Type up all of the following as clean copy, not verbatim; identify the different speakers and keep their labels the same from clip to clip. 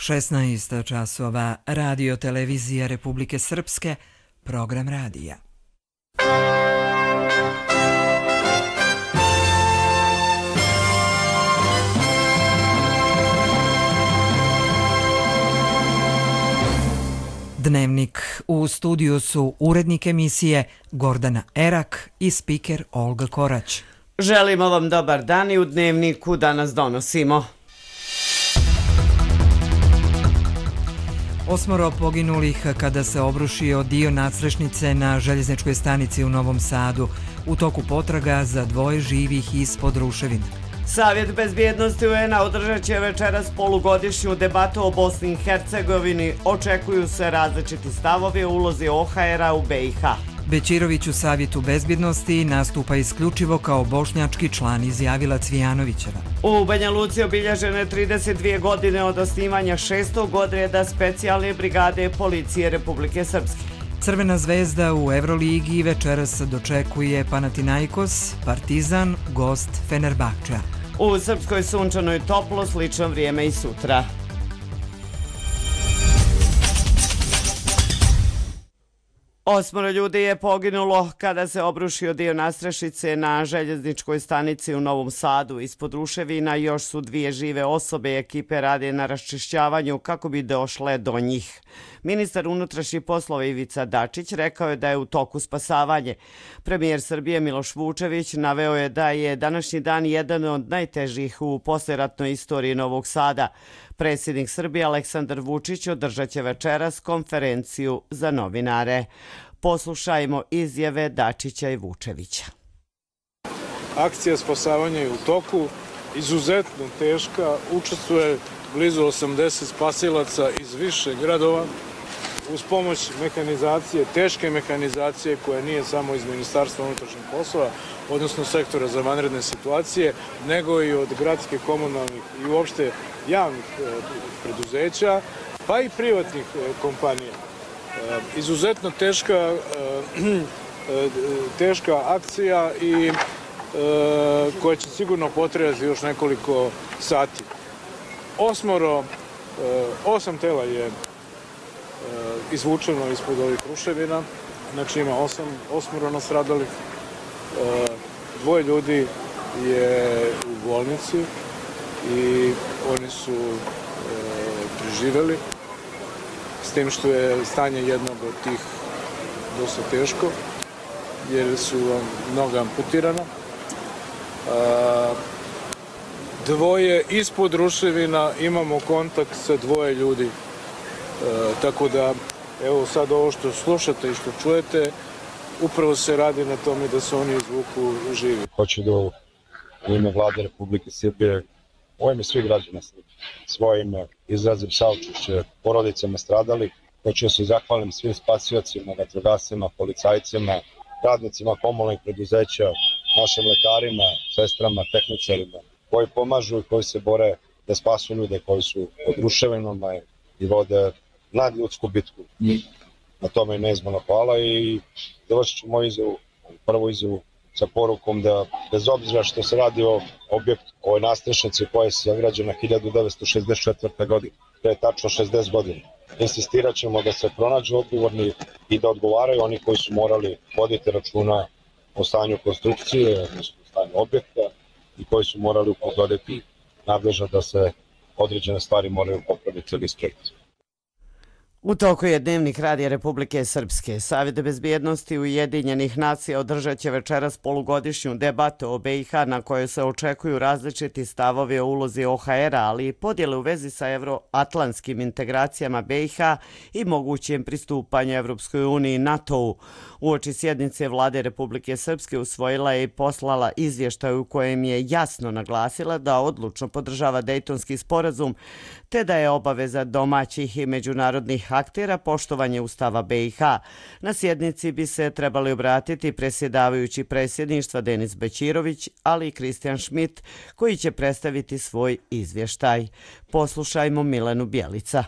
Speaker 1: 16 časova, Radio Televizija Republike Srpske, program radija. Dnevnik. U studiju su urednik emisije Gordana Erak i spiker Olga Korać.
Speaker 2: Želimo vam dobar dan i u Dnevniku danas donosimo.
Speaker 1: 8 poginulih kada se obrušio dio nadstrešnice na željezničkoj stanici u Novom Sadu. U toku potraga za 2 živih ispod ruševina.
Speaker 2: Savjet bezbjednosti UN-a održat će večeras polugodišnju debatu o Bosni i Hercegovini. Očekuju se različiti stavovi o ulozi OHR-a u BiH.
Speaker 1: Bećirović u Savjetu bezbjednosti nastupa isključivo kao bošnjački član, izjavila Cvijanovićeva.
Speaker 2: U Banja Luci obilježene 32 godine od osnivanja 6. odreda specijalne brigade policije Republike Srpske.
Speaker 1: Crvena zvezda u Evroligi večeras dočekuje Panathinaikos, Partizan, gost Fenerbahčea.
Speaker 2: U Srpskoj sunčanoj toplo, slično vrijeme i sutra. 8 ljudi je poginulo kada se obrušio dio nadstrešnice na željezničkoj stanici u Novom Sadu. Ispod ruševina još su 2 žive osobe i ekipe rade na raščišćavanju kako bi došle do njih. Ministar unutrašnjih poslova Ivica Dačić rekao je da je u toku spasavanje. Premijer Srbije Miloš Vučević naveo je da je današnji dan jedan od najtežih u posleratnoj istoriji Novog Sada. Predsjednik Srbije Aleksandar Vučić održat će večeras konferenciju za novinare. Poslušajmo izjave Dačića i Vučevića.
Speaker 3: Akcija spasavanja je u toku, izuzetno teška, učestvuje blizu 80 spasilaca iz više gradova uz pomoć mehanizacije, teške mehanizacije koja nije samo iz Ministarstva unutrašnjih poslova, odnosno sektora za vanredne situacije, nego i od gradskih, komunalnih i uopšte javnih preduzeća, pa i privatnih kompanija. Izuzetno teška akcija i koja će sigurno potrajati još nekoliko sati. 8 tela je izvučeno ispod ovih ruševina, znači ima 8 nastradalih. 2 ljudi je u bolnici i oni su preživjeli, s tim što je stanje jednog od tih dosta teško, jer su noga amputirana. 2 ispod ruševina, imamo kontakt sa 2 ljudi, tako da evo sad ovo što slušate i što čujete, upravo se radi na tome da se oni izvuku živi.
Speaker 4: Hoću da u ime Vlade Republike Srbije, u ime svih građana svoje ime izrazim saučešće porodicama stradalih. Hoću da se zahvalim svim spasiocima, vatrogascima, policajcima, radnicima komunalnih preduzeća, našim lekarima, sestrama, tehničarima, koji pomažu i koji se bore da spasu ljude koji su pod ruševinama i vode nadljudsku bitku. Na tome je neizmjerno hvala i završit ću moju izjavu, prvu izjavu sa porukom da bez obzira što se radi o objektu, ovoj nadstrešnici koja je sagrađena 1964. godine, to je tačno 60 godina. Insistirat ćemo da se pronađu odgovorni i da odgovaraju oni koji su morali voditi računa o stanju konstrukcije, odnosno o stanju objekta i koji su morali upozoriti nadležno da se određene stvari moraju popraviti ili ispraviti.
Speaker 2: U toku je Dnevnik Radija Republike Srpske. Savjet bezbjednosti Ujedinjenih nacija održat će večeras polugodišnju debatu o BiH na kojoj se očekuju različiti stavovi o ulozi OHR-a, ali i podjele u vezi sa evroatlantskim integracijama BiH i mogućem pristupanju Evropskoj uniji i NATO-u. Uoči sjednice Vlade Republike Srpske usvojila je i poslala izvještaj u kojem je jasno naglasila da odlučno podržava Dejtonski sporazum, te da je obaveza domaćih i međunarodnih aktera poštovanje Ustava BiH. Na sjednici bi se trebali obratiti predsjedavajući predsjedništva Denis Bećirović, ali i Kristijan Šmit, koji će predstaviti svoj izvještaj. Poslušajmo Milenu Bjelica.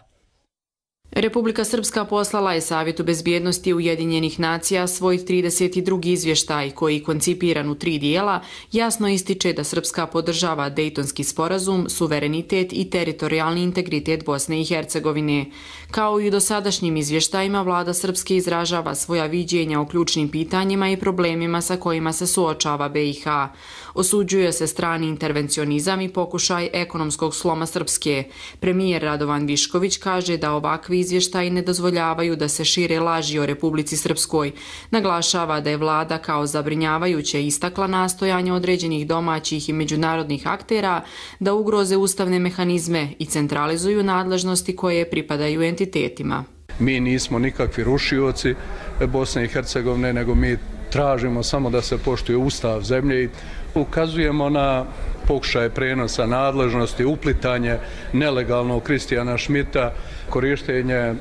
Speaker 5: Republika Srpska poslala je Savjetu bezbjednosti Ujedinjenih nacija svoj 32. izvještaj koji, koncipiran u 3 dijela, jasno ističe da Srpska podržava Dejtonski sporazum, suverenitet i teritorijalni integritet Bosne i Hercegovine. Kao i u dosadašnjim izvještajima, vlada Srpske izražava svoja viđenja o ključnim pitanjima i problemima sa kojima se suočava BiH. Osuđuje se strani intervencionizam i pokušaj ekonomskog sloma Srpske. Premijer Radovan Višković kaže da ovakvi izvještaji ne dozvoljavaju da se šire laži o Republici Srpskoj. Naglašava da je vlada kao zabrinjavajuće istakla nastojanje određenih domaćih i međunarodnih aktera da ugroze ustavne mehanizme i centralizuju nadležnosti koje pripadaju entitetima.
Speaker 6: Mi nismo nikakvi rušioci Bosne i Hercegovine, nego mi tražimo samo da se poštuje ustav zemlje i ukazujemo na pokušaje prenosa nadležnosti, uplitanje nelegalnog Kristijana Šmita, korištenje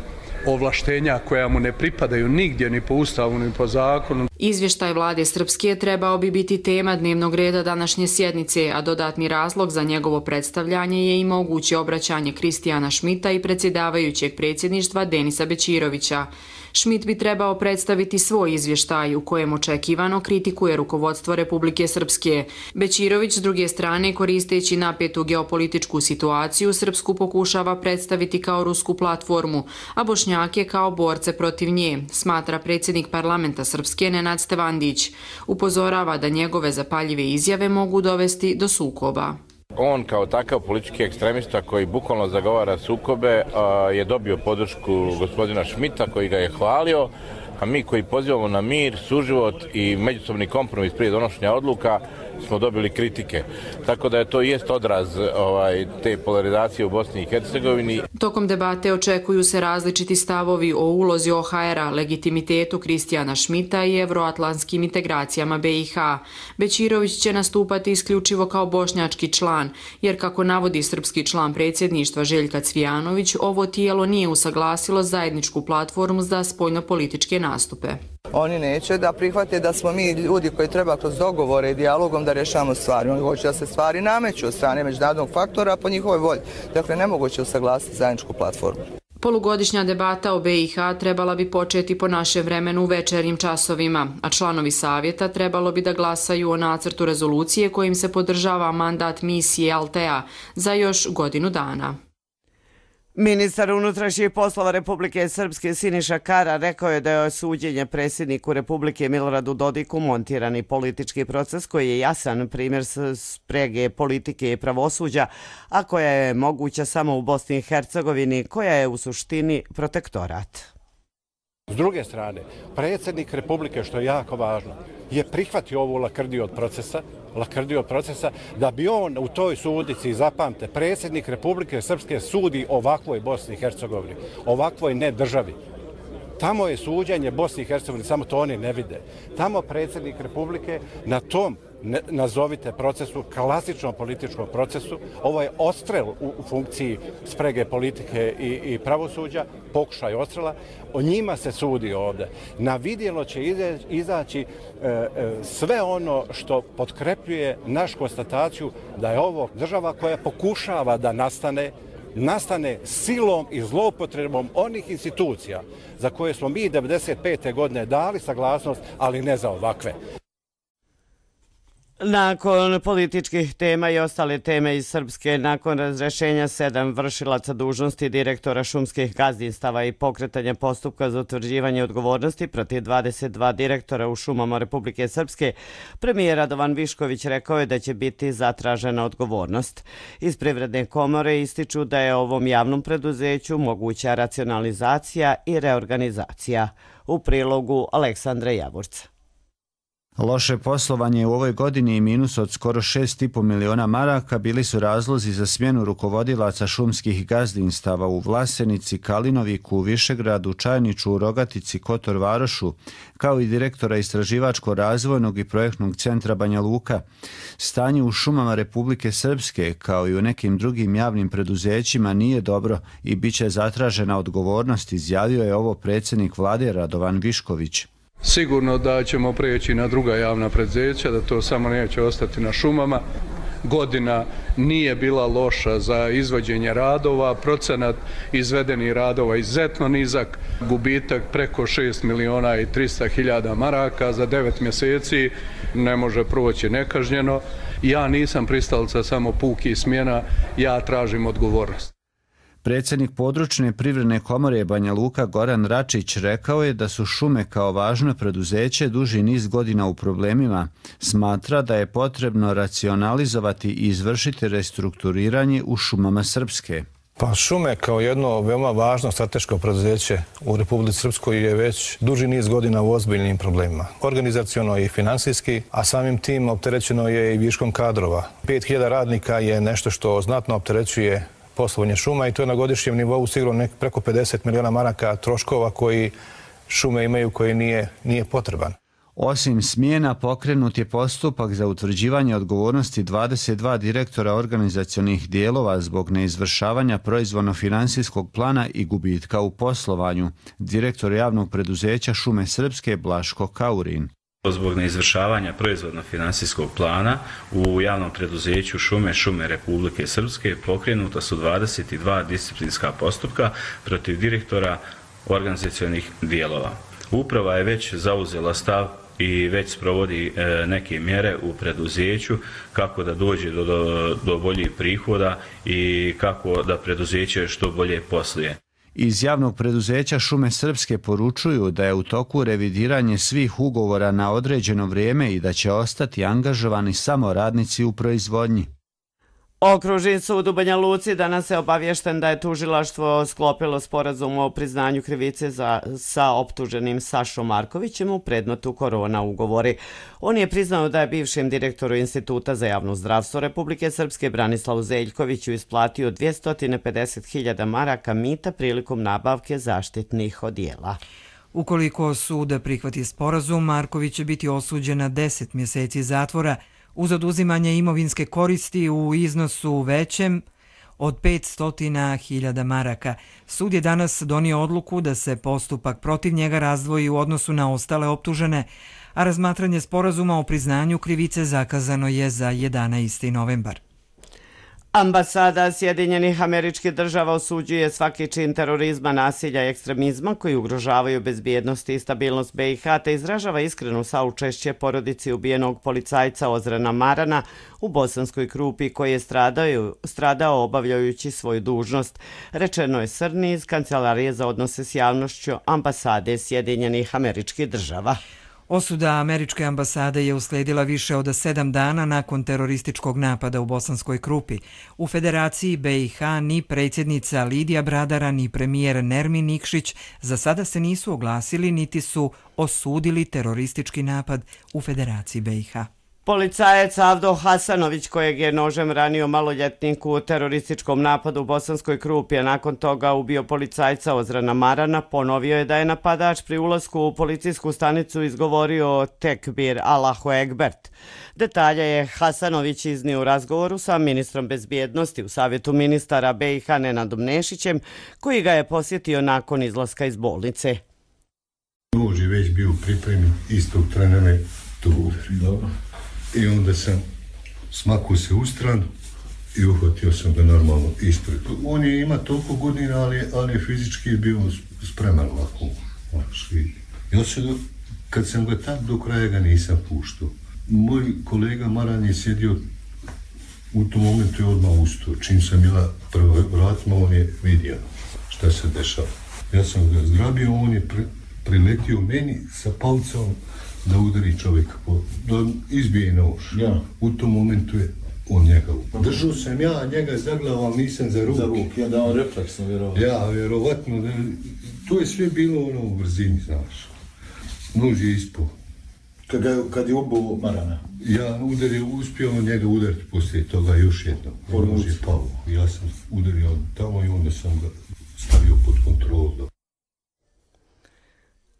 Speaker 6: ovlaštenja koja mu ne pripadaju nigdje, ni po ustavu, ni po zakonu.
Speaker 5: Izvještaj vlade Srpske trebao bi biti tema dnevnog reda današnje sjednice, a dodatni razlog za njegovo predstavljanje je i moguće obraćanje Kristijana Šmita i predsjedavajućeg predsjedništva Denisa Bećirovića. Šmit bi trebao predstaviti svoj izvještaj u kojem očekivano kritikuje rukovodstvo Republike Srpske. Bećirović, s druge strane, koristeći napetu geopolitičku situaciju, Srpsku pokušava predstaviti kao rusku platformu, a Bošnjake kao borce protiv nje, smatra predsjednik parlamenta Srpske Nenad Stevandić. Upozorava da njegove zapaljive izjave mogu dovesti do sukoba.
Speaker 7: On kao takav politički ekstremista koji bukvalno zagovara sukobe je dobio podršku gospodina Šmita koji ga je hvalio, a mi koji pozivamo na mir, suživot i međusobni kompromis prije donošenja odluka smo dobili kritike. Tako da je to jest odraz te polarizacije u Bosni i Hercegovini.
Speaker 5: Tokom debate očekuju se različiti stavovi o ulozi OHR-a, legitimitetu Kristijana Šmita i evroatlantskim integracijama BiH. Bećirović će nastupati isključivo kao bošnjački član, jer kako navodi srpski član predsjedništva Željka Cvijanović, ovo tijelo nije usaglasilo zajedničku platformu za spoljnopolitičke nastupe.
Speaker 8: Oni neće da prihvate da smo mi ljudi koji treba kroz dogovore i dijalogom da rješavamo stvari. Oni hoće da se stvari nameću od strane međunarodnog faktora po njihovoj volji. Dakle, nemoguće usaglasiti zajedničku platformu.
Speaker 5: Polugodišnja debata o BiH trebala bi početi po našem vremenu u večernjim časovima, a članovi savjeta trebalo bi da glasaju o nacrtu rezolucije kojim se podržava mandat misije Altea za još godinu dana.
Speaker 2: Ministar unutrašnjih poslova Republike Srpske Siniša Kara rekao je da je suđenje predsjedniku Republike Miloradu Dodiku montirani politički proces koji je jasan primjer sprege politike i pravosuđa, a koja je moguća samo u Bosni i Hercegovini, koja je u suštini protektorat.
Speaker 9: S druge strane, predsjednik Republike, što je jako važno, je prihvatio ovu lakrdiju od procesa da bi on u toj sudici, zapamte, predsjednik Republike Srpske sudi ovakvoj Bosni i Hercegovini, ovakvoj ne državi. Tamo je suđenje Bosni i Hercegovini, samo to oni ne vide. Tamo predsjednik Republike na tom, nazovite procesu, klasičnom političkom procesu, ovo je odstrel u funkciji sprege politike i pravosuđa, pokušaj odstrela, o njima se sudi ovdje. Na vidjelo će izaći sve ono što potkrepljuje naš konstataciju da je ovo država koja pokušava da nastane silom i zloupotrebom onih institucija za koje smo mi 1995. godine dali saglasnost, ali ne za ovakve.
Speaker 2: Nakon političkih tema i ostale teme iz Srpske, nakon razrešenja 7 vršilaca dužnosti direktora šumskih gazdinstava i pokretanja postupka za utvrđivanje odgovornosti protiv 22 direktora u šumama Republike Srpske, premijer Radovan Višković rekao je da će biti zatražena odgovornost. Iz Privredne komore ističu da je ovom javnom preduzeću moguća racionalizacija i reorganizacija. U prilogu Aleksandra Javorca.
Speaker 10: Loše poslovanje u ovoj godini i minus od skoro 6,5 miliona maraka bili su razlozi za smjenu rukovodilaca šumskih gazdinstava u Vlasenici, Kalinoviku, Višegradu, Čajniču, Rogatici, Kotor Varošu, kao i direktora Istraživačko-razvojnog i projektnog centra Banja Luka. Stanje u šumama Republike Srpske, kao i u nekim drugim javnim preduzećima, nije dobro i bit će zatražena odgovornost, izjavio je ovo predsjednik vlade Radovan Višković.
Speaker 6: Sigurno da ćemo preći na druga javna preduzeća, da to samo neće ostati na šumama, godina nije bila loša za izvođenje radova, procenat izvedenih radova izuzetno nizak, gubitak preko 6.300.000 maraka za 9 mjeseci ne može proći nekažnjeno. Ja nisam pristalica samo pukih smjena, ja tražim odgovornost.
Speaker 10: Predsjednik područne privredne komore Banja Luka Goran Račić rekao je da su šume kao važno preduzeće duži niz godina u problemima. Smatra da je potrebno racionalizovati i izvršiti restrukturiranje u šumama Srpske.
Speaker 11: Pa šume kao jedno veoma važno strateško preduzeće u Republici Srpskoj je već duži niz godina u ozbiljnim problemima. Organizaciono i finansijski, a samim tim opterećeno je i viškom kadrova. 5.000 radnika je nešto što znatno opterećuje poslovanje šuma i to je na godišnjem nivou sigurno preko 50 miliona maraka troškova koji šume imaju koji nije potreban.
Speaker 10: Osim smjena, pokrenut je postupak za utvrđivanje odgovornosti 22 direktora organizacionih dijelova zbog neizvršavanja proizvodno-finansijskog plana i gubitka u poslovanju. Direktor javnog preduzeća Šume Srpske Blaško Kaurin.
Speaker 12: Zbog neizvršavanja proizvodno-finansijskog plana u javnom preduzeću Šume Republike Srpske pokrenuta su 22 disciplinska postupka protiv direktora organizacionih dijelova. Uprava je već zauzela stav i već sprovodi neke mjere u preduzeću kako da dođe do boljih prihoda i kako da preduzeće što bolje posluje.
Speaker 10: Iz javnog preduzeća Šume Srpske poručuju da je u toku revidiranje svih ugovora na određeno vrijeme i da će ostati angažovani samo radnici u proizvodnji.
Speaker 2: Okružni sud u Banja Luci danas je obaviješten da je tužilaštvo sklopilo sporazum o priznanju krivice sa optuženim Sašom Markovićem u predmetu korona ugovori. On je priznao da je bivšem direktoru Instituta za javno zdravstvo Republike Srpske Branislavu Zeljkoviću isplatio 250.000 maraka mita prilikom nabavke zaštitnih odijela.
Speaker 1: Ukoliko sud prihvati sporazum, Marković će biti osuđen na 10 mjeseci zatvora uz oduzimanje imovinske koristi u iznosu većem od 500.000 maraka. Sud je danas donio odluku da se postupak protiv njega razdvoji u odnosu na ostale optužene, a razmatranje sporazuma o priznanju krivice zakazano je za 11. novembar.
Speaker 2: Ambasada Sjedinjenih Američkih Država osuđuje svaki čin terorizma, nasilja i ekstremizma koji ugrožavaju bezbjednost i stabilnost BiH te izražava iskreno saučešće porodici ubijenog policajca Ozrena Marana u Bosanskoj Krupi koji je stradao obavljajući svoju dužnost. Rečeno je Srni iz Kancelarije za odnose s javnošću Ambasade Sjedinjenih Američkih Država.
Speaker 1: Osuda američke ambasade je usledila više od 7 dana nakon terorističkog napada u Bosanskoj Krupi. U Federaciji BiH ni predsjednica Lidija Bradara ni premijer Nermin Nikšić za sada se nisu oglasili niti su osudili teroristički napad u Federaciji BiH.
Speaker 2: Policajac Avdo Hasanović, kojeg je nožem ranio maloljetnik u terorističkom napadu u Bosanskoj Krupi, a nakon toga ubio policajca Ozrena Marana, ponovio je da je napadač pri ulasku u policijsku stanicu izgovorio tekbir Allahu Ekbert. Detalje je Hasanović iznio u razgovoru sa ministrom bezbjednosti u Savjetu ministara BiH Nenadom Nešićem, koji ga je posjetio nakon izlaska iz bolnice.
Speaker 13: Nož je već bio pripremljen, istog trena me to udari. Dobro. I onda sam smakao se u stranu i uhvatio sam ga normalno ispred. On je ima toliko godina, ali je fizički bio spreman ovako. Ja kad sam ga tak do kraja ga nisam puštao. Moj kolega Maran je sjedio u tom momentu je odmah ustao. Čim sam bila prvo vratima, on je vidio šta se dešava. Ja sam ga zgrabio, on je priletio meni sa palcom da udari čovjeka, da izbije nož. Ja. U tom momentu je on njega upao. Držao sam ja, njega zaglavao, nisam za ruke. Za ruke, ja da on refleksno vjerovatno. Ja, vjerovatno. To je sve bilo ono u brzini, znaš. Nož je ispao. Kad je ubao Marana? Ja uspio njega udariti poslije toga još jednom. Nož je pao. Ja sam udario tamo i onda sam ga stavio pod kontrolu.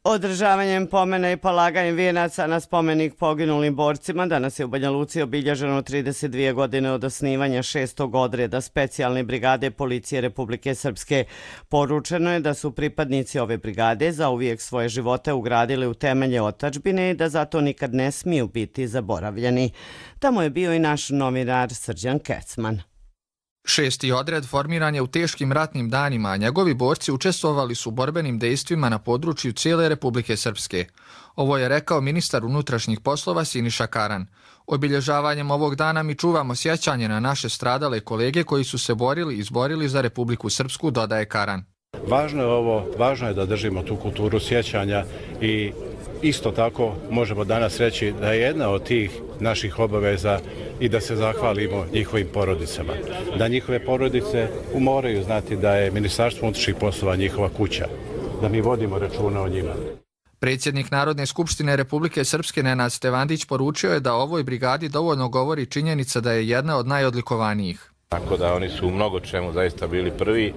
Speaker 2: Održavanjem pomena i polaganjem vijenaca na spomenik poginulim borcima danas je u Banja Luci obilježeno 32 godine od osnivanja 6. odreda specijalne brigade Policije Republike Srpske. Poručeno je da su pripadnici ove brigade zauvijek svoje živote ugradili u temelje otadžbine i da zato nikad ne smiju biti zaboravljeni. Tamo je bio i naš novinar Srđan Kecman.
Speaker 14: 6. odred formiran je u teškim ratnim danima, a njegovi borci učestvovali su u borbenim dejstvima na području cijele Republike Srpske. Ovo je rekao ministar unutrašnjih poslova Siniša Karan. Obilježavanjem ovog dana mi čuvamo sjećanje na naše stradale kolege koji su se borili i izborili za Republiku Srpsku, dodaje Karan.
Speaker 9: Važno je da držimo tu kulturu sjećanja i isto tako možemo danas reći da je jedna od tih naših obaveza i da se zahvalimo njihovim porodicama. Da njihove porodice moraju znati da je Ministarstvo unutrašnjih poslova njihova kuća, da mi vodimo računa o njima.
Speaker 14: Predsjednik Narodne skupštine Republike Srpske Nenad Stevandić poručio je da o ovoj brigadi dovoljno govori činjenica da je jedna od najodlikovanijih.
Speaker 7: Tako da oni su u mnogo čemu zaista bili prvi,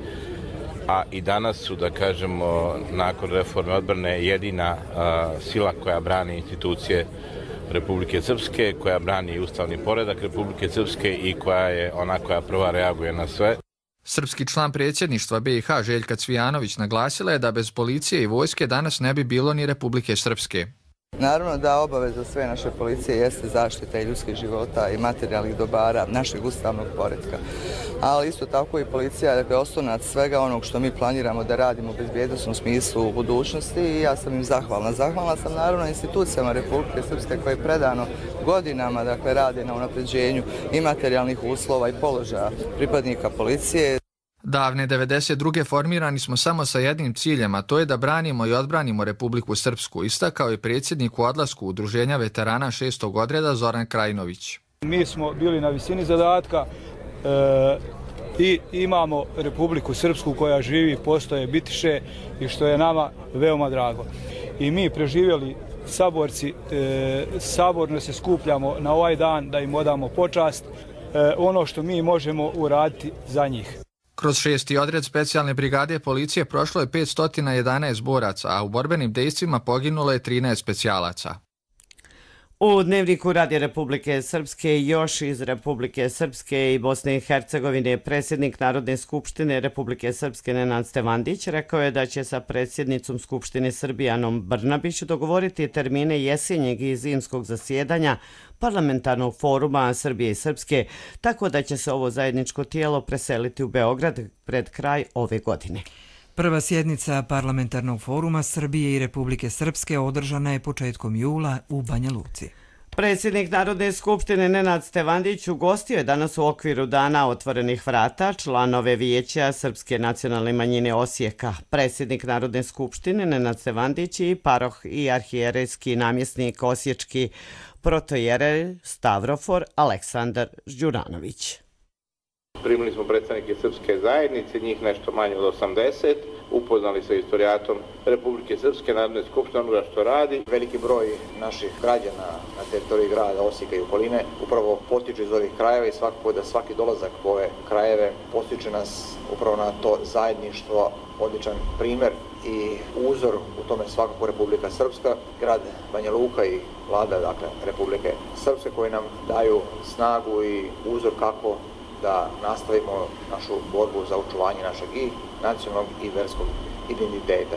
Speaker 7: a i danas su, da kažemo, nakon reforme odbrane jedina sila koja brani institucije Republike Srpske, koja brani ustavni poredak Republike Srpske i koja je ona koja prva reaguje na sve.
Speaker 14: Srpski član predsjedništva BiH Željka Cvijanović naglasila je da bez policije i vojske danas ne bi bilo ni Republike Srpske.
Speaker 8: Naravno da obaveza sve naše policije jeste zaštita i ljudskih života i materijalnih dobara našeg ustavnog poretka. Ali isto tako i policija je oslonac svega onog što mi planiramo da radimo u bezbjednosnom smislu u budućnosti i ja sam im zahvalna. Zahvalna sam naravno institucijama Republike Srpske koje predano godinama rade na unapređenju i materijalnih uslova i položaja pripadnika policije.
Speaker 14: Davne 92. formirani smo samo sa jednim ciljem, a to je da branimo i odbranimo Republiku Srpsku, istakao je predsjednik u odlasku Udruženja veterana 6. odreda Zoran Krajinović.
Speaker 15: Mi smo bili na visini zadatka i imamo Republiku Srpsku koja živi, postoje, bitiše i što je nama veoma drago. I mi preživjeli saborci, saborno se skupljamo na ovaj dan da im odamo počast, ono što mi možemo uraditi za njih.
Speaker 14: Kroz 6. odred specijalne brigade policije prošlo je 511 boraca, a u borbenim dejstvima poginulo je 13 specijalaca.
Speaker 2: U Dnevniku Radija Republike Srpske još iz Republike Srpske i Bosne i Hercegovine predsjednik Narodne skupštine Republike Srpske Nenad Stevandić rekao je da će sa predsjednicom Skupštine Srbije Anom Brnabić dogovoriti termine jesenjeg i zimskog zasjedanja parlamentarnog foruma Srbije i Srpske, tako da će se ovo zajedničko tijelo preseliti u Beograd pred kraj ove godine.
Speaker 1: Prva sjednica parlamentarnog foruma Srbije i Republike Srpske održana je početkom jula u Banja Luci.
Speaker 2: Predsjednik Narodne skupštine Nenad Stevandić ugostio je danas u okviru Dana otvorenih vrata članove Vijeća Srpske nacionalne manjine Osijeka. Predsjednik Narodne skupštine Nenad Stevandić i paroh i arhijerejski namjesnik osječki protojerej Stavrofor Aleksandar Đuranović.
Speaker 7: Primili smo predstavnike Srpske zajednice, njih nešto manje od 80, upoznali sa historijatom Republike Srpske, Narodne skupštine, onoga što radi.
Speaker 16: Veliki broj naših građana na teritoriji grada Osijeka i okoline upravo potiče iz ovih krajeva i svakako da svaki dolazak u ove krajeve postiče nas upravo na to zajedništvo, odličan primjer i uzor u tome svakako Republika Srpska, grad Banja Luka i vlada Republike Srpske koji nam daju snagu i uzor kako da nastavimo našu borbu za očuvanje našeg i nacionalnog i verskog identiteta.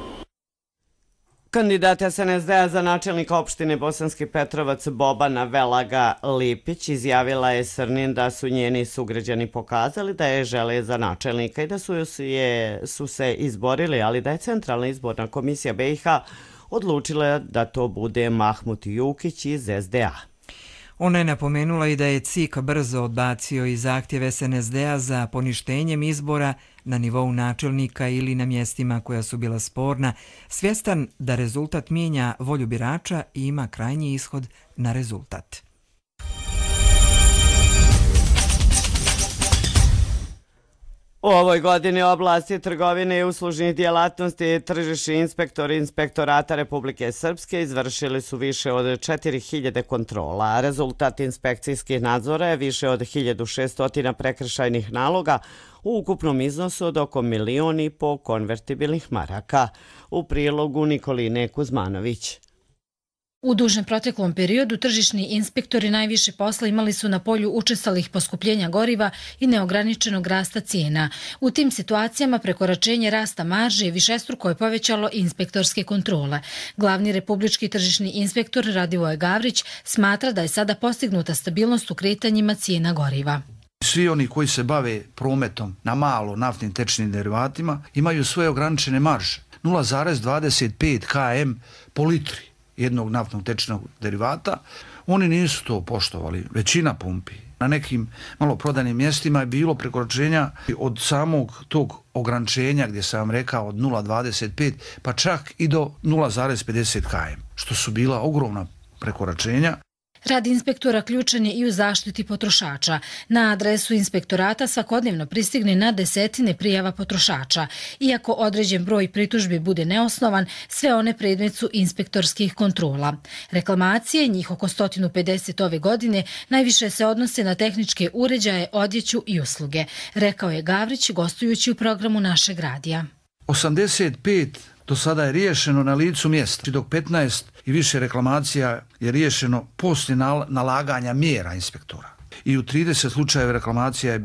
Speaker 2: Kandidat SNSD-a za načelnika opštine Bosanski Petrovac Bobana Velaga Lipić izjavila je Srnin da su njeni sugrađani pokazali da je žele za načelnika i da su se izborili, ali da je Centralna izborna komisija BiH odlučila da to bude Mahmut Jukić iz SDA.
Speaker 1: Ona je napomenula i da je CIK brzo odbacio i zahtjev SNSD-a za poništenjem izbora na nivou načelnika ili na mjestima koja su bila sporna, svjestan da rezultat mijenja volju birača i ima krajnji ishod na rezultat.
Speaker 2: U ovoj godini u oblasti trgovine i uslužnih djelatnosti tržišni inspektori Inspektorata Republike Srpske izvršili su više od 4000 kontrola, a rezultat inspekcijskih nadzora je više od 1600 prekršajnih naloga u ukupnom iznosu od oko 1,5 miliona konvertibilnih maraka. U prilogu Nikoline Kuzmanović.
Speaker 17: U dužem proteklom periodu tržišni inspektori najviše posla imali su na polju učestalih poskupljenja goriva i neograničenog rasta cijena. U tim situacijama prekoračenje rasta marže višestruko je povećalo inspektorske kontrole. Glavni republički tržišni inspektor Radivoje Gavrić smatra da je sada postignuta stabilnost u kretanjima cijena goriva.
Speaker 18: Svi oni koji se bave prometom na malo naftnim tečnim derivatima imaju svoje ograničene marže. 0,25 km po litri jednog naftnog tečnog derivata. Oni nisu to poštovali, većina pumpi. Na nekim maloprodajnim mjestima je bilo prekoračenja od samog tog ograničenja gdje sam vam rekao od 0,25 pa čak i do 0,50 km, što su bila ogromna prekoračenja.
Speaker 17: Rad inspektora ključan je i u zaštiti potrošača. Na adresu inspektorata svakodnevno pristigne na desetine prijava potrošača. Iako određen broj pritužbi bude neosnovan, sve one predmet su inspektorskih kontrola. Reklamacije, njih oko 150 ove godine, najviše se odnose na tehničke uređaje, odjeću i usluge, rekao je Gavrić gostujući u programu našeg radija.
Speaker 18: 85 do sada je riješeno na licu mjesta, dok 15 i više reklamacija je riješeno poslije nalaganja mjera inspektora. I u 30 slučajeva reklamacija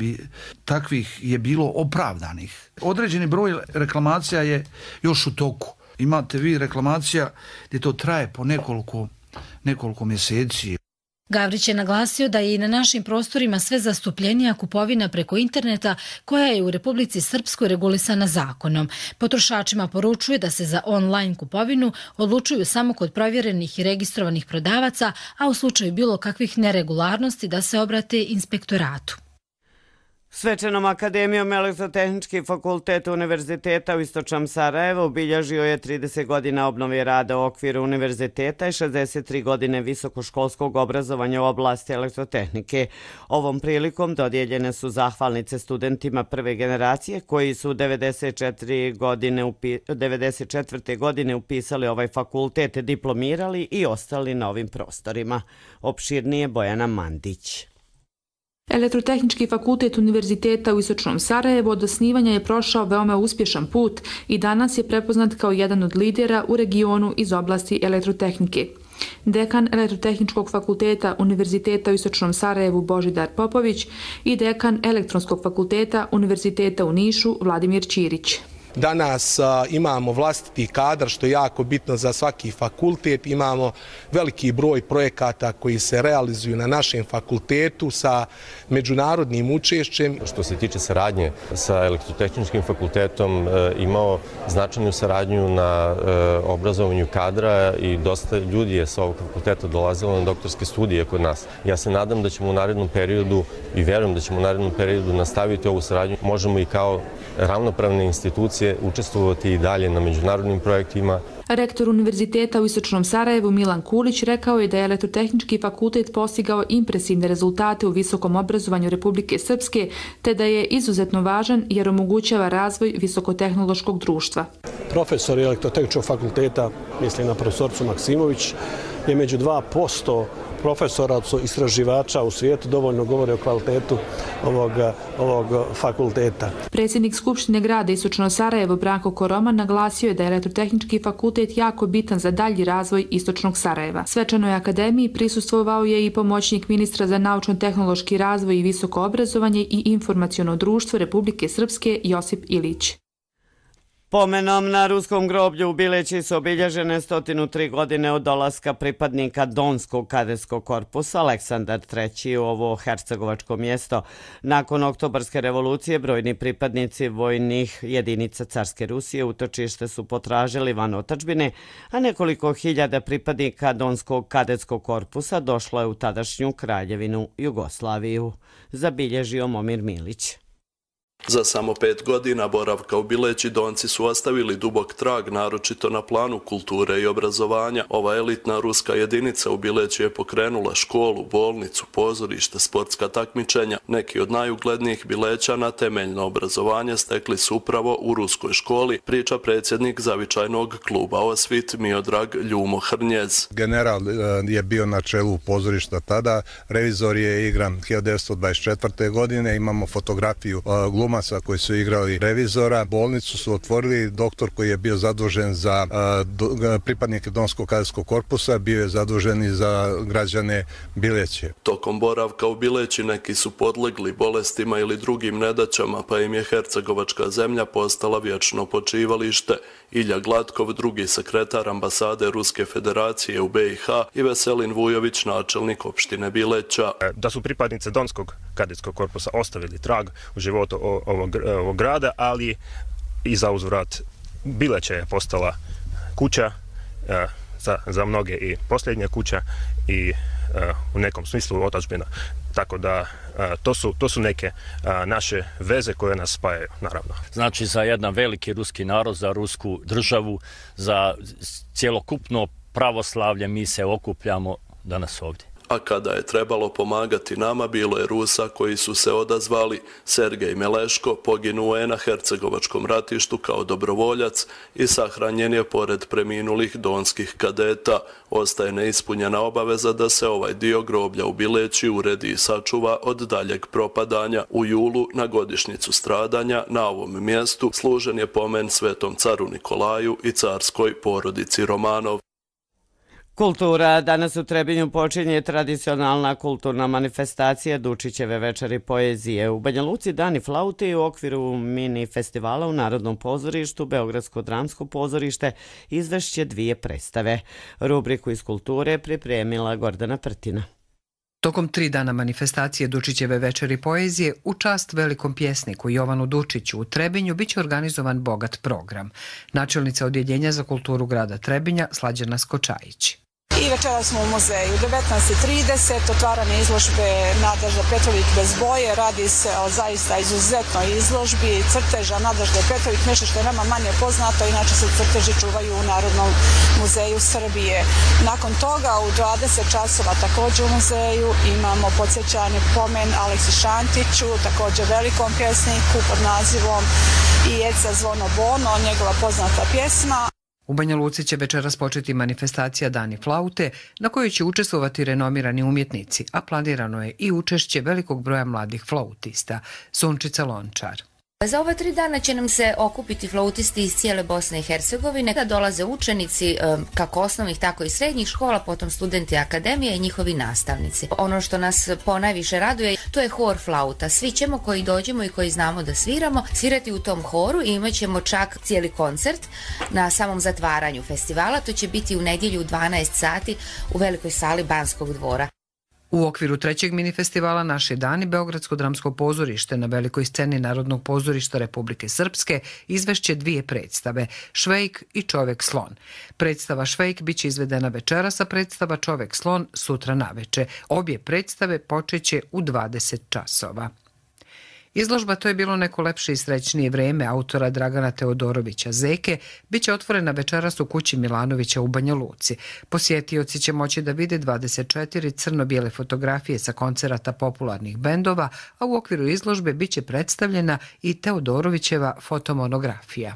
Speaker 18: takvih je bilo opravdanih. Određeni broj reklamacija je još u toku. Imate vi reklamacija gdje to traje po nekoliko mjeseci.
Speaker 17: Gavrić je naglasio da je i na našim prostorima sve zastupljenija kupovina preko interneta koja je u Republici Srpskoj regulisana zakonom. Potrošačima poručuje da se za online kupovinu odlučuju samo kod provjerenih i registrovanih prodavaca, a u slučaju bilo kakvih neregularnosti da se obrate inspektoratu.
Speaker 2: Svečanom akademijom Elektrotehnički fakultet Univerziteta u Istočnom Sarajevu obilježio je 30 godina obnove rada u okviru univerziteta i 63 godine visokoškolskog obrazovanja u oblasti elektrotehnike. Ovom prilikom dodijeljene su zahvalnice studentima prve generacije koji su 94. godine upisali ovaj fakultet, diplomirali i ostali na ovim prostorima. Opširnije Bojana Mandić.
Speaker 5: Elektrotehnički fakultet Univerziteta u Istočnom Sarajevu od osnivanja je prošao veoma uspješan put i danas je prepoznat kao jedan od lidera u regionu iz oblasti elektrotehnike. Dekan Elektrotehničkog fakulteta Univerziteta u Istočnom Sarajevu Božidar Popović i dekan Elektronskog fakulteta Univerziteta u Nišu Vladimir Ćirić.
Speaker 19: Danas imamo vlastiti kadar, što je jako bitno za svaki fakultet. Imamo veliki broj projekata koji se realizuju na našem fakultetu sa međunarodnim učešćem.
Speaker 20: Što se tiče saradnje sa Elektrotehničkim fakultetom, imao značajnu saradnju na obrazovanju kadra i dosta ljudi je sa ovog fakulteta dolazilo na doktorske studije kod nas. Ja se nadam da ćemo u narednom periodu i verujem da ćemo u narednom periodu nastaviti ovu saradnju. Možemo i kao ravnopravne institucije učestvovati i dalje na međunarodnim projektima.
Speaker 5: Rektor Univerziteta u Istočnom Sarajevu Milan Kulić rekao je da je Elektrotehnički fakultet postigao impresivne rezultate u visokom obrazovanju Republike Srpske, te da je izuzetno važan jer omogućava razvoj visokotehnološkog društva.
Speaker 21: Profesor Elektrotehničkog fakulteta, mislim na profesorcu Maksimović, je među 2% profesora, istraživača u svijetu, dovoljno govore o kvalitetu ovog fakulteta.
Speaker 5: Predsjednik Skupštine grada Istočno Sarajevo Branko Koroman naglasio je da je Elektrotehnički fakultet jako bitan za dalji razvoj Istočnog Sarajeva. Svečanoj akademiji prisustvovao je i pomoćnik ministra za naučno-tehnološki razvoj i visoko obrazovanje i informaciono društvo Republike Srpske Josip Ilić.
Speaker 2: Pomenom na ruskom groblju u Bileći su obilježene 103 godine od dolaska pripadnika Donskog kadetskog korpusa Aleksandar III u ovo hercegovačko mjesto. Nakon oktobarske revolucije brojni pripadnici vojnih jedinica carske Rusije utočište su potražili van otadžbine, a nekoliko hiljada pripadnika Donskog kadetskog korpusa došlo je u tadašnju Kraljevinu Jugoslaviju. Zabilježio Momir Milić.
Speaker 3: Za samo 5 godina boravka u Bileći Donci su ostavili dubok trag, naročito na planu kulture i obrazovanja. Ova elitna ruska jedinica u Bileći je pokrenula školu, bolnicu, pozorište, sportska takmičenja. Neki od najuglednijih Bilećana temeljno obrazovanje stekli su upravo u ruskoj školi, priča predsjednik zavičajnog kluba Osvit Miodrag Ljumo Hrnjez.
Speaker 22: General je bio na čelu pozorišta tada, revizor je igran 1924. godine, imamo fotografiju glumaca koji su igrali revizora. Bolnicu su otvorili, doktor koji je bio zadužen za pripadnike Donskog kadetskog korpusa bio je zadužen i za građane Bileće.
Speaker 3: Tokom boravka u Bileći neki su podlegli bolestima ili drugim nedaćama, pa im je hercegovačka zemlja postala vječno počivalište. Ilja Glatkov, drugi sekretar ambasade Ruske federacije u BiH i Veselin Vujović, načelnik opštine Bileća.
Speaker 23: Da su pripadnice Donskog kadetskog korpusa ostavili trag u životu ovog grada, ali i za uzvrat Bileća je postala kuća za mnoge i posljednja kuća i u nekom smislu otadžbina. Tako da to su neke naše veze koje nas spajaju, naravno.
Speaker 24: Znači za jedan veliki ruski narod, za rusku državu, za cjelokupno pravoslavlje mi se okupljamo danas ovdje.
Speaker 3: A kada je trebalo pomagati nama, bilo je Rusa koji su se odazvali. Sergej Meleško poginuo je na hercegovačkom ratištu kao dobrovoljac i sahranjen je pored preminulih donskih kadeta. Ostaje neispunjena obaveza da se ovaj dio groblja u Bileći uredi i sačuva od daljeg propadanja. U julu, na godišnjicu stradanja, na ovom mjestu služen je pomen svetom caru Nikolaju i carskoj porodici Romanov.
Speaker 2: Kultura. Danas u Trebinju počinje tradicionalna kulturna manifestacija Dučićeve večeri poezije. U Banja Luci Dani flaute u okviru mini festivala u Narodnom pozorištu Beogradsko dramsko pozorište izvešće 2 predstave. Rubriku iz kulture pripremila Gordana Prtina.
Speaker 1: Tokom 3 dana manifestacije Dučićeve večeri poezije u čast velikom pjesniku Jovanu Dučiću u Trebinju biće organizovan bogat program. Načelnica Odjeljenja za kulturu grada Trebinja Slađana Skočajić.
Speaker 25: I večera smo u muzeju, 19:30, otvaranje izložbe Nadežda Petrović bez boje. Radi se o zaista izuzetnoj izložbi crteža Nadežde Petrović, nešto što je nama manje poznato, inače se crteži čuvaju u Narodnom muzeju Srbije. Nakon toga u 20 časova također u muzeju imamo podsjećanje pomen Aleksi Šantiću, također velikom pjesniku pod nazivom I Eca zvono bono, njegova poznata pjesma.
Speaker 1: U Banja Luci će večeras početi manifestacija Dani flaute na kojoj će učestvovati renomirani umjetnici, a planirano je i učešće velikog broja mladih flautista. Sunčica Lončar.
Speaker 26: Za ova 3 dana će nam se okupiti flautisti iz cijele Bosne i Hercegovine, kada dolaze učenici kako osnovnih, tako i srednjih škola, potom studenti akademije i njihovi nastavnici. Ono što nas ponajviše raduje, to je hor flauta. Svi ćemo koji dođemo i koji znamo da sviramo, svirati u tom horu i imat ćemo čak cijeli koncert na samom zatvaranju festivala. To će biti u nedjelju u 12 sati u velikoj sali Banskog dvora.
Speaker 1: U okviru 3. minifestivala Naši dani Beogradsko dramsko pozorište na velikoj sceni Narodnog pozorišta Republike Srpske izvešće 2 predstave, Švejk i Čovek slon. Predstava Švejk biće izvedena večeras, a predstava Čovek slon sutra naveče. Obje predstave počeće u 20 časova. Izložba To je bilo neko lepše i srećnije vreme autora Dragana Teodorovića Zeke biće otvorena večeras u kući Milanovića u Banja Luci. Posjetioci će moći da vide 24 crno-bijele fotografije sa koncerata popularnih bendova, a u okviru izložbe biće predstavljena i Teodorovićeva fotomonografija.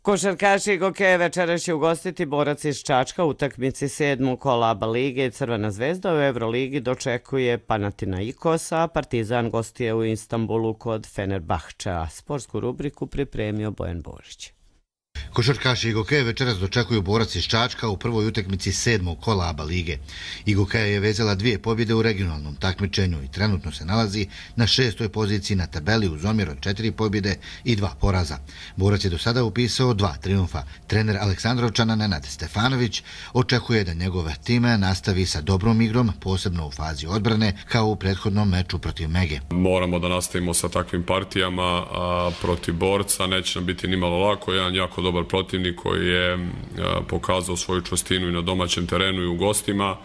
Speaker 2: Košarkaši i Gokeje večeras će ugostiti Borac iz Čačka u utakmici 7. kola ABA lige. Crvena zvezda u Euroligi dočekuje Panathinaikosa, a Partizan gostuje u Istanbulu kod Fenerbahčea. Sportsku rubriku pripremio Bojan Božić.
Speaker 27: Košarkaši Igokeje večeras dočekuju Borac iz Čačka u prvoj utakmici 7. kola ABA lige. Igokeja je vezala 2 pobjede u regionalnom takmičenju i trenutno se nalazi na 6. poziciji na tabeli uz omjer od 4 pobjede i 2 poraza. Borac je do sada upisao 2 triumfa. Trener Aleksandrovčana Nenad Stefanović očekuje da njegov tim nastavi sa dobrom igrom, posebno u fazi odbrane, kao u prethodnom meču protiv Mege.
Speaker 28: Moramo da nastavimo sa takvim partijama, a protiv Borca neće nam biti nimalo lako. Jedan jako dobar protivnik koji je pokazao svoju čvrstinu i na domaćem terenu i u gostima.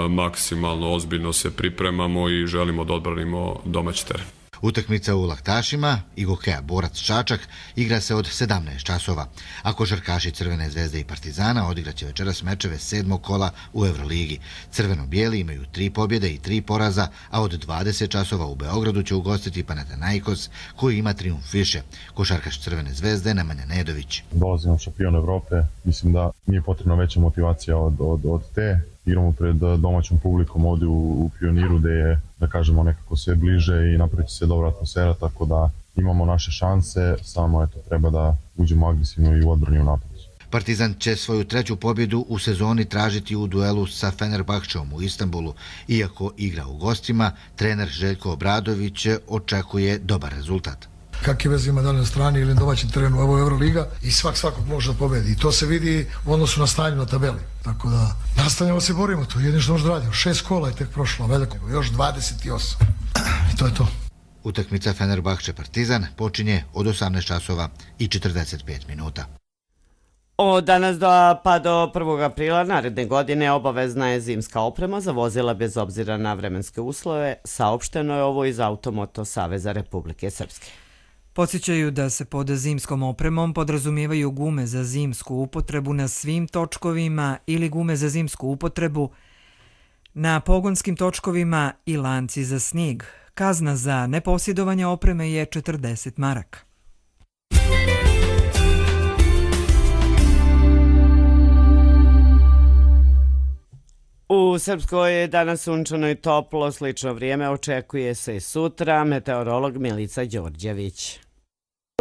Speaker 28: maksimalno ozbiljno se pripremamo i želimo da odbranimo domaći teren.
Speaker 27: Utakmica u Laktašima i Gokeja Borac Čačak igra se od 17 časova, a košarkaši Crvene zvezde i Partizana odigraće večeras mečeve 7. kola u Euroligi. Crveno-bijeli imaju 3 pobjede i 3 poraza, a od 20 časova u Beogradu će ugostiti Panathinaikos koji ima trijumf više. Košarkaš Crvene zvezde Nemanja Nedović.
Speaker 4: Dolazimo šampion Evrope, mislim da nije potrebna veća motivacija od te. Igramo pred domaćom publikom ovdje u Pioniru gdje je, da kažemo, nekako sve bliže i napraviti se dobra atmosfera, tako da imamo naše šanse, samo treba da uđemo agresivno i u odbrani u napadu.
Speaker 27: Partizan će svoju 3. pobjedu u sezoni tražiti u duelu sa Fenerbahčeom u Istanbulu. Iako igra u gostima, trener Željko Obradović očekuje dobar rezultat.
Speaker 6: Kakve veze ima da li na strani ili na domaćem terenu, ovo je Euroliga i svakog može da pobedi. I to se vidi u odnosu na stanju na tabeli. Tako da nastavljamo se borimo, to je jedino što možda radimo. 6 kola je tek prošlo, veliko, još 28. I to je to.
Speaker 27: Utakmica Fenerbahče Partizan počinje od 18 časova i 45 minuta.
Speaker 2: Od danas pa do 1. aprila naredne godine obavezna je zimska oprema za vozila bez obzira na vremenske uslove, saopšteno je ovo iz Automoto Saveza Republike Srpske.
Speaker 1: Podsjećaju da se pod zimskom opremom podrazumijevaju gume za zimsku upotrebu na svim točkovima ili gume za zimsku upotrebu na pogonskim točkovima i lanci za snijeg. Kazna za neposjedovanje opreme je 40 maraka.
Speaker 2: U Srpskoj je danas sunčano i toplo, slično vrijeme očekuje se i sutra, meteorolog Milica Đorđević.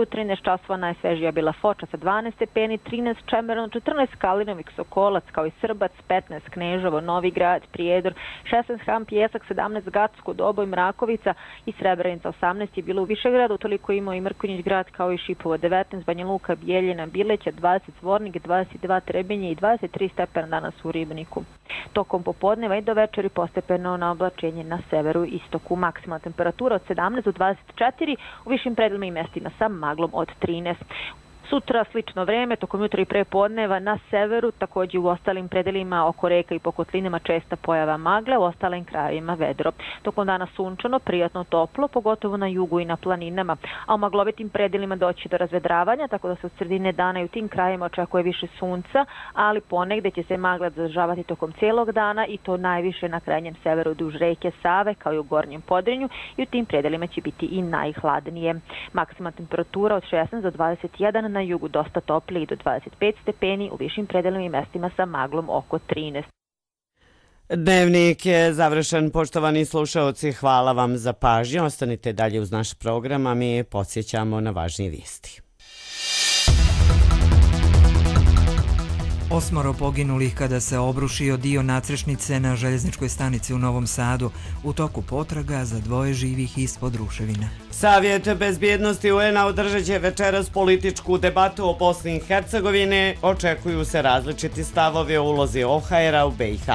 Speaker 8: U 13 časova najsvežija bila Foča sa 12 stepeni, 13 Čemerno, 14 Kalinovik, Sokolac, kao i Srbac, 15 Kneževo, Novi Grad, Prijedor, 16 Hram, Pjesak, 17 Gacko, Doboj, Mrakovica i Srebrenica, 18 je bilo u Višegradu, toliko imao i Mrkonjić grad kao i Šipovo, 19 Banja Luka, Bijeljina, Bileća, 20 Zvornik, 22 Trebinje i 23 stepena danas u Ribniku. Tokom popodneva i do večeri postepeno na oblačenje na severu i istoku. Maksimalna temperatura od 17 do 24, u višim predelima i mestima sa maglom od 13. Sutra slično vreme, tokom jutra i pre podneva na severu, također u ostalim predelima oko reka i po kotlinama česta pojava magle, u ostalim krajevima vedro. Tokom dana sunčano, prijatno toplo, pogotovo na jugu i na planinama, a u maglovitim predelima doći do razvedravanja, tako da se od sredine dana i u tim krajevima očekuje više sunca, ali ponegde će se magla zadržavati tokom cijelog dana i to najviše na krajnjem severu duž reke Save, kao i u gornjem Podrinju, i u tim predelima će biti i najhladnije. Maksimalna temperatura od 16 do 21, na jugu dosta toplije i do 25 stepeni, u višim predelima i mestima sa maglom oko 13.
Speaker 2: Dnevnik je završen, poštovani slušaoci, hvala vam za pažnju. Ostanite dalje uz naš program, a mi podsjećamo na važnije vijesti.
Speaker 1: 8 poginulih kada se obrušio dio nadstrešnice na željezničkoj stanici u Novom Sadu u toku potraga za 2 živih ispod ruševina.
Speaker 2: Savjet bezbjednosti UN-a održat će večeras političku debatu o Bosni i Hercegovini. Očekuju se različiti stavovi o ulozi OHR-a u BiH.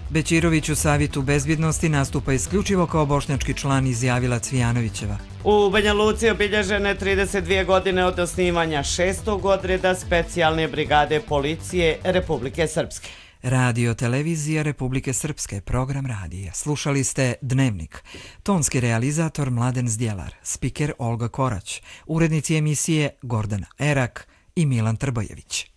Speaker 1: Bećirović u Savjetu bezbjednosti nastupa isključivo kao bošnjački član, izjavila Cvijanovićeva.
Speaker 2: U Banja Luci obilježene 32 godine od osnivanja 6. odreda specijalne brigade policije Republike Srpske.
Speaker 1: Radio televizija Republike Srpske, program radija. Slušali ste Dnevnik. Tonski realizator Mladen Zdjelar, spiker Olga Korać, urednici emisije Gordana Erak i Milan Trbojević.